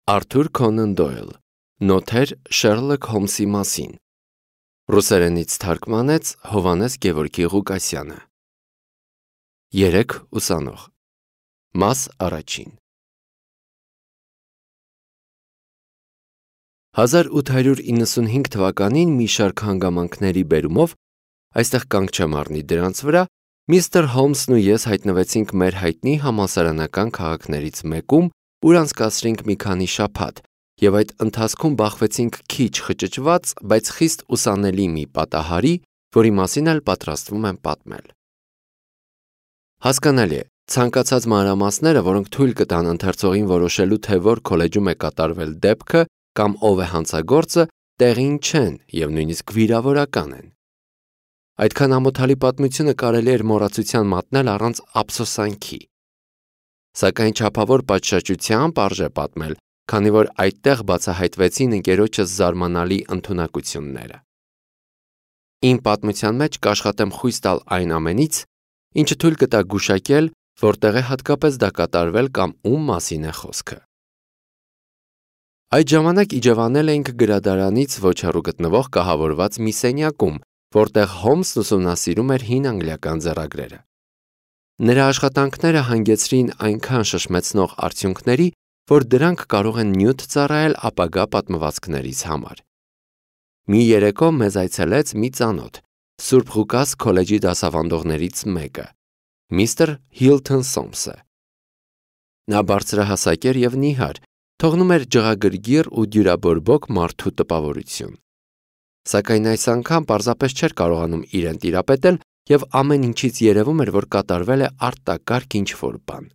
Արթուր Քոնան Դոյլ, Նոթեր Շերլոք Հոլմսի մասին, ռուսերենից թարգմանեց Հովհաննես Գևորգի Ղուկասյանը։ 3 ուսանող, մաս առաջին։ 1895 թվականին մի շարք հանգամանքների բերումով, այստեղ կանգ չեմ առնի դրանց վրա, միստր Հոլմսն ու ես հայտնվեցինք մեր հայտնի համալսարանական քաղաքներից մեկում, ուր անցկացրինք մի քանի շաբաթ, և այդ ընթացքում բախվեցինք քիչ խճճված, բայց խիստ ուսանելի մի պատահարի, որի մասին էլ պատրաստվում եմ պատմել։ Հասկանալի է, ցանկացած մանրամասները, որոնք թույլ կտան ընթերցողին որոշելու, թե որ քոլեջում է կատարվել դեպքը կամ ով է հանցագործը, տեղին չեն և նույնիսկ վիրավորական են։ Այդքան ամոթալի պատմությունը կարելի էր մոռացության մատնել առանց ափսոսանքի։ Սակայն չափավոր պատշաճությամբ արժե պատմել, քանի որ այդտեղ բացահայտվեցին ընկերոջս զարմանալի ընդունակությունները։ Իմ պատմության մեջ կաշխատեմ խույս տալ այն ամենից, ինչը թույլ կտա գուշակել, որտեղ է հատկապես դա կատարվել կամ ում մասին է խոսքը։ Այդ ժամանակ իջևանել էինք գրադարանից ոչ հեռու գտնվող կահավորված մի սենյակում, որտեղ Հոլմսն ուսումնասիրում էր հին անգլիական ձեռագրերը։ Նրա աշխատանքները հանգեցրին այնքան շշմեցնող արդյունքների, որ դրանք կարող են նյութ ծառայել ապագա պատմվածքներից համար։ Մի երեկո մեզ այցելեց մի ծանոթ, Սուրբ Ղուկաս քոլեջի դասավանդողներից մեկը, միստր Հիլթոն Սոմսը։ Նա բարձրահասակ էր և նիհար, թողնում էր ջղագրգիռ ու դյուրաբորբոք մարդու տպավորություն։ Սակայն այս անգամ պարզապես չէր կարողանում իրեն տիրապետել և ամեն ինչից երևում էր, որ կատարվել է արտակարգ ինչ-որ բան։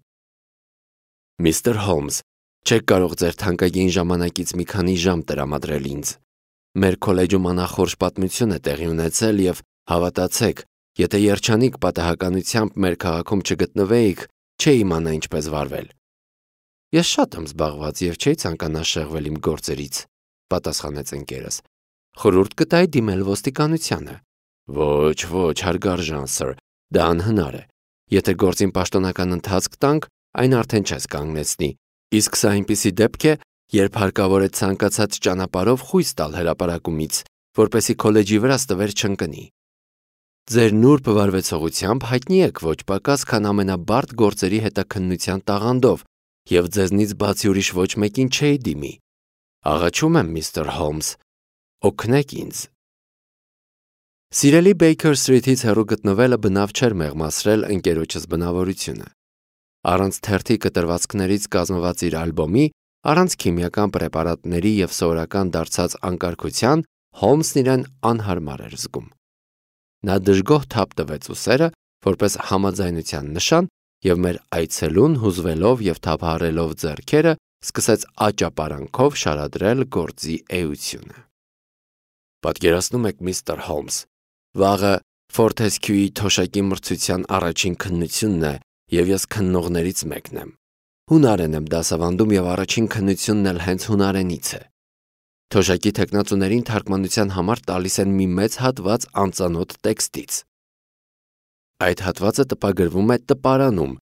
Միստր Հոլմս, չեք կարող ձեր թանկագին ժամանակից մի քանի ժամ տրամադրել ինձ։ Մեր քոլեջում անախորժ պատմություն է տեղի ունեցել և, հավատացեք, եթե երջանիկ պատահականությամբ մեր քաղաքում չգտնվեիք, չէի իմանա ինչպես վարվել։ Ես շատ եմ զբաղված և չէի ցանկանա շեղվել իմ գործերից, պատասխանեց ընկերս։ Խորհուրդ կտայի դիմել ոստիկանությանը։ Ոչ, հարգարժան սըր, դա անհնար է։ Եթե գործին պաշտոնական ընթացք տանք, այն արդեն չես կանգնեցնի, իսկ սա այնպիսի դեպք է, երբ հարկավոր է ցանկացած ճանապարհով խույս տալ հրապարակումից, որպեսզի քոլեջի վրա ստվեր չընկնի։ Ձեր նուրբ վարվեցողությամբ հայտնի եք ոչ պակաս, քան ամենաբարդ գործերի հետաքննության տաղանդով, և ձեզնից բացի ուրիշ ոչ մեկին չէի դիմի։ Աղաչում եմ, միստր Հոլմս, օգնեք ինձ։ Սիրելի Բեյքեր Սթրիթից հեռու գտնվելը բնավ չէր մեղմացրել ընկերոջս բնավորությունը։ Առանց թերթի կտրվածքներից կազմված իր ալբոմի, առանց քիմիական պրեպարատների և սովորական դարձած անկարգության, Հոլմսն իրեն անհարմար էր զգում։ Նա դժգոհ թափ տվեց ուսերը, որպես համաձայնության նշան, և մեր այցելուն հուզվելով և թափահարելով ձեռքերը, սկսեց աճապարանքով շարադրել գործի էությունը։ Պատկերացնում եք, միստր Հոլմս, վաղը Ֆորթեսքյուի թոշակի մրցության առաջին քննությունն է, և ես քննողներից մեկն եմ։ Հունարեն եմ դասավանդում և առաջին քննությունն էլ հենց հունարենից է։ Թոշակի թեկնածուներին թարգմանության համար տալիս են մի մեծ հատված անծանոթ տեքստից։ Այդ հատվածը տպագրվում է տպարանում,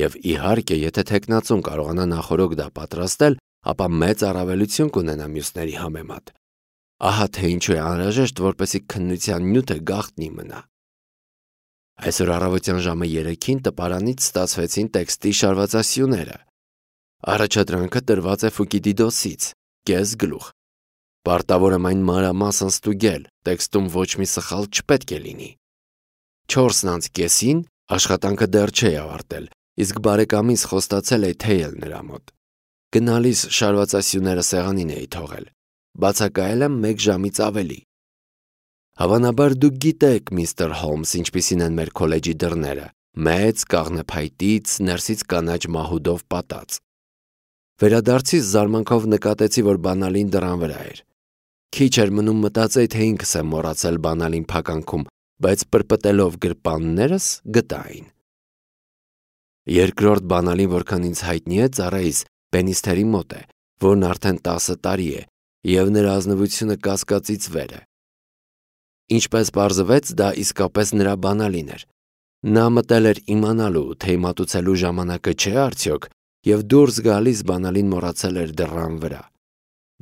և իհարկե, եթե թեկնածուն կարողանա նախօրոք դա պատրաստել, ապա մեծ առավելություն կունենա մյուսների համեմատ։ Ահա թե ինչու է անհրաժեշտ, որպեսզի քննության նյութը գաղտնի մնա։ Այսօր առավոտյան ժամը 3-ին տպարանից ստացվեցին տեքստի շարվածասյուները։ Առաջադրանքը տրված է Ֆուկիդիդոսից, կես գլուխ։ Պարտավոր եմ այն մանրամասն ստուգել, տեքստում ոչ մի սխալ չպետք է լինի։ 4:30-ին աշխատանքը դեռ չէի ավարտել, իսկ բարեկամիս խոստացել էի թեյել նրա մոտ։ Գնալիս շարվածասյուները սեղանին էի թողել։ Բացակայել եմ 1 ժամից ավելի։ Հավանաբար դուք գիտեք, միստր Հոլմս, ինչպիսին են մեր քոլեջի դռները, մեծ, կաղնեփայտից, ներսից կանաչ մահուդով պատած։ Վերադարձիս զարմանքով նկատեցի, որ բանալին դռան վրա էր։ Քիչ էր մնում մտածեի, թե ինքս եմ մոռացել բանալին փականքում, բայց պրպտելով գրպաններս գտա այն։ Երկրորդ բանալին, որքան ինձ հայտնի է, ծառայիս Պենիստերի մոտ է, որն արդեն 10 տարի է, և նրա ազնվությունը կասկածից վեր է։ Ինչպես պարզվեց, դա իսկապես նրա բանալին էր։ Նա մտել էր իմանալու, թե մատուցելու ժամանակը չէ արդյոք, եւ դուրս գալիս բանալին մոռացել էր դռան վրա։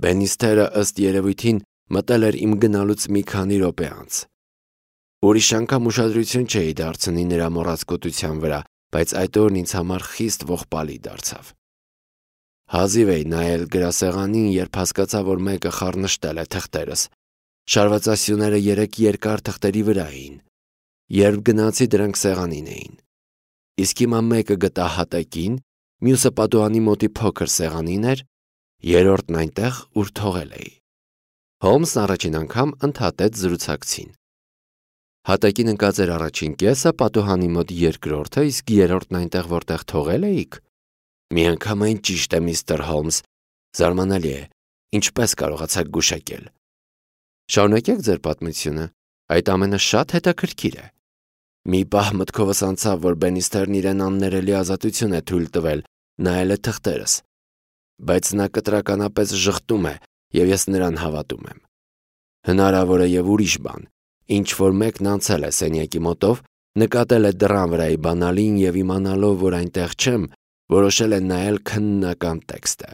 Բենիստերը ըստ երևույթին մտել էր իմ գնալուց մի քանի րոպե անց։ Ուրիշ անգամ ուշադրություն չէի դարձնի նրա մոռացկոտության վրա, բայց այդ օրն ինձ համար խիստ ողբալի դարձավ։ Հազիվ էի նայել գրասեղանին, երբ հասկացա, որ մեկը խառնշտել է թղթերս։ Շարվածասյուները 3 երկար թղթերի վրա էին։ Երբ գնացի, դրանք սեղանին էին։ Իսկ հիմա մեկը գտա հատակին, մյուսը պատուհանի մոտի փոքր սեղանին էր, երրորդն այնտեղ, ուր թողել էի։ Հոլմսն առաջին անգամ ընդհատեց զրուցակցին։ Հատակին ընկած էր առաջին կեսը, պատուհանի մոտ երկրորդը, իսկ երրորդն այնտեղ, որտեղ թողել էիք։ Միանգամայն ճիշտ է, միստր Հոլմս, զարմանալի է, ինչպես կարողացաք գուշակել։ Շարունակեք ձեր պատմությունը, այդ ամենը շատ հետաքրքիր է։ Մի պահ մտքովս անցավ, որ Բենիստերն իրեն աններելի ազատություն է թույլ տվել, նայել է թղթերս, բայց նա կտրականապես ժխտում է, եւ ես նրան հավատում եմ։ Հնարավոր է եւ ուրիշ բան, ինչ որ մեկն անցել է սենյակի մոտով, նկատել է դռան վրայի բանալին եւ իմանալով, որ այնտեղ չեմ, որոշել է նայել քննական տեքստը։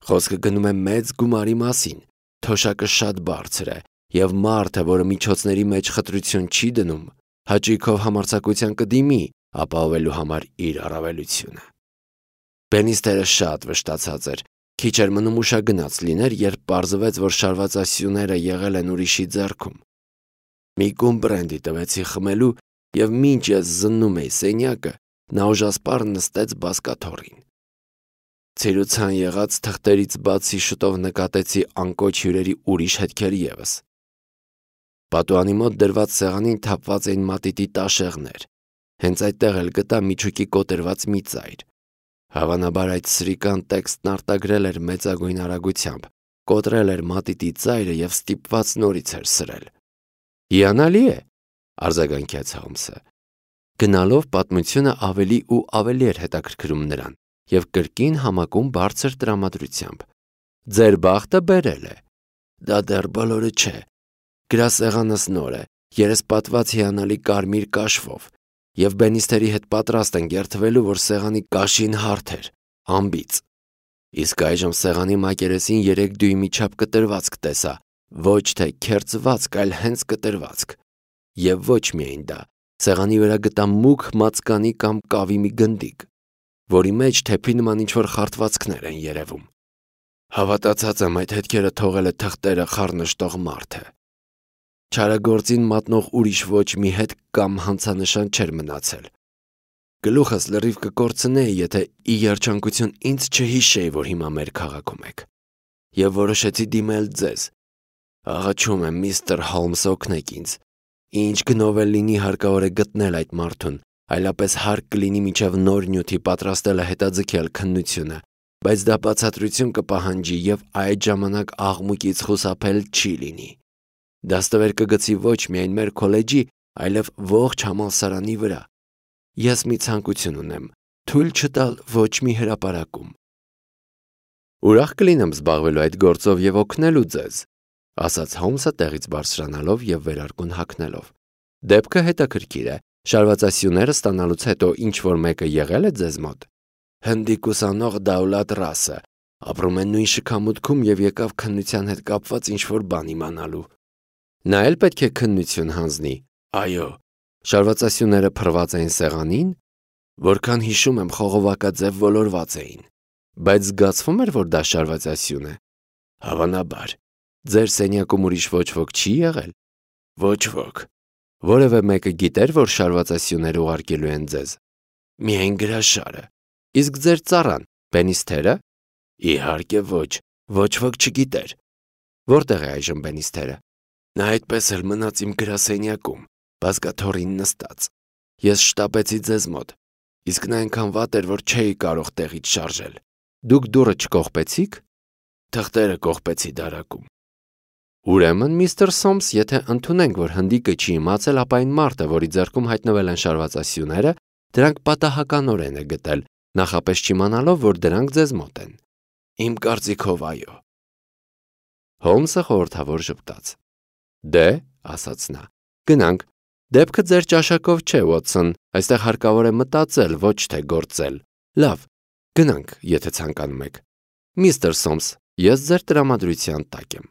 Խոսքը գնում է մեծ գումարի մասին, թոշակը շատ բարձր է, եւ մարդը, որը միջոցների մեջ խտրություն չի դնում, հաճույքով համարձակության կդիմի ապահովելու համար իր առավելությունը։ Բենիստերը շատ վշտացած էր, քիչ էր մնում ուշագնաց լիներ, երբ պարզվեց, որ շարվածասյուները եղել են ուրիշի ձեռքում։ Մի կում բրենդի տվեցի խմելու, եւ մինչ ես զննում էի սենյակը, նա ուժասպառ նստեց բազկաթոռին։ Ցիրուցան եղած թղթերից բացի շուտով նկատեցի անկոչ հյուրերի ուրիշ հետքեր ևս։ Պատուհանի մոտ դրված սեղանին թափված էին մատիտի տաշեղներ։ Հենց այդտեղ էլ գտա միջուկի կոտրված մի ծայր։ Հավանաբար այդ սրիկան տեքստն արտագրել էր մեծագույն արագությամբ, կոտրել էր մատիտի ծայրը եւ ստիպված նորից էր սրել։ Հիանալի է, արձագանքեց Հոլմսը։ Գնալով պատմությունը ավելի ու ավելի էր հետաքրքրում նրան եւ կրկին համակում բարձր տրամադրությամբ։ Ձեր բախտը բերել է։ Դա դեռ բոլորը չէ։ Գրասեղանս նոր է, երեսպատված հիանալի կարմիր կաշվով, եւ Բենիստերի հետ պատրաստ են երթվելու, որ սեղանի կաշին հարթ էր, ամբից։ Իսկ այժմ սեղանի մակերեսին 3 դույմի չափ կտրվածք տեսա, ոչ թե քերծվածք, այլ հենց կտրվածք։ Եվ ոչ միայն դա, սեղանի վրա գտա մուգ մածկանի կամ կավի մի գնդիկ, որի մեջ թեփի նման ինչ-որ խարտվածքներ են երևում։ Հավատացած եմ, այդ հետքերը թողել է թղթերը խառնշտող մարդը։ Չարագործին մատնող ուրիշ ոչ մի հետ կամ հանցանշան չէր մնացել։ Գլուխս լրիվ կկորցնեի, եթե ի երջանկություն ինձ չհիշեի, որ հիմա մեր քաղաքում եք։ Եվ որոշեցի դիմել ձեզ։ Աղաչում եմ, միստր Հոլմս, օգնեք ինձ։ Ինչ գնով էլ լինի, հարկավոր է գտնել այդ մարդուն, այլապես հարկ կլինի մինչև նոր նյութի պատրաստելը հետաձգել քննությունը, բայց դա բացատրություն կպահանջի եւ այդ ժամանակ աղմուկից խուսափել չի լինի։ Դաստվեր կգցի ոչ միայն մեր քոլեջի, այլև ողջ համալսարանի վրա։ Ես մի ցանկություն ունեմ, թույլ չտալ ոչ մի հրապարակում։ Ուրախ կլինեմ զբաղվելու այդ գործով եւ օգնելու ձեզ, ասաց Հոլմսը տեղից բարձրանալով եւ վերարկուն հագնելով։ Դեպքը հետաքրքիր է, շարվածասյուները ստանալուց հետո ինչ որ մեկը եղել է ձեզ մոտ։ Հնդիկ ուսանող Դաուլատ Ռասը ապրում է նույն շքամուտքում եւ եկավ քննության հետ կապված ինչ որ բան իմանալու։ Նա էլ պետք է քննություն հանձնի։ Այո, շարվածասյուները փռված էին սեղանին, որքան հիշում եմ խողովակաձև ոլորված էին, բայց զգացվում էր, որ դա շարվածասյուն է։ Հավանաբար, ձեր սենյակում ուրիշ ոչ ոք չի եղել։ Ոչ ոք։ Որևէ մեկը գիտեր, որ շարվածասյուներ ուղարկելու են ձեզ։ Միայն գրաշարը։ Իսկ ձեր ծառան, Բենիստերը։ Իհարկե ոչ ոք չգիտեր։ Որտեղ է այժմ Բենիստերը։ Նա այդպես էլ մնաց իմ գրասենյակում, բազկաթոռին նստած։ Ես շտապեցի ձեզ մոտ, իսկ նա այնքան վատ էր, որ չէի կարող տեղից շարժել։ Դուք դուռը չկողպեցիք։ Թղթերը կողպեցի դարակում։ Ուրեմն, միստր Սոմս, եթե ընդունենք, որ հնդիկը չի իմացել, ապա այն մարդը, որի ձեռքում հայտնվել են շարվածասյուները, դրանք պատահականորեն է գտել, նախապես չիմանալով, որ դրանք ձեզ մոտ են։ Իմ կարծիքով այո։ Հոլմսը խորհրդավոր ժպտաց։ Դե, ասաց նա, գնանք, դեպքը ձեր ճաշակով չէ, Ուոտսոն, այստեղ հարկավոր է մտածել, ոչ թե գործել։ Լավ, Գնանք, եթե ցանկանում եք։ Միստր Սոմս, ես ձեր տրամադրության տակ եմ։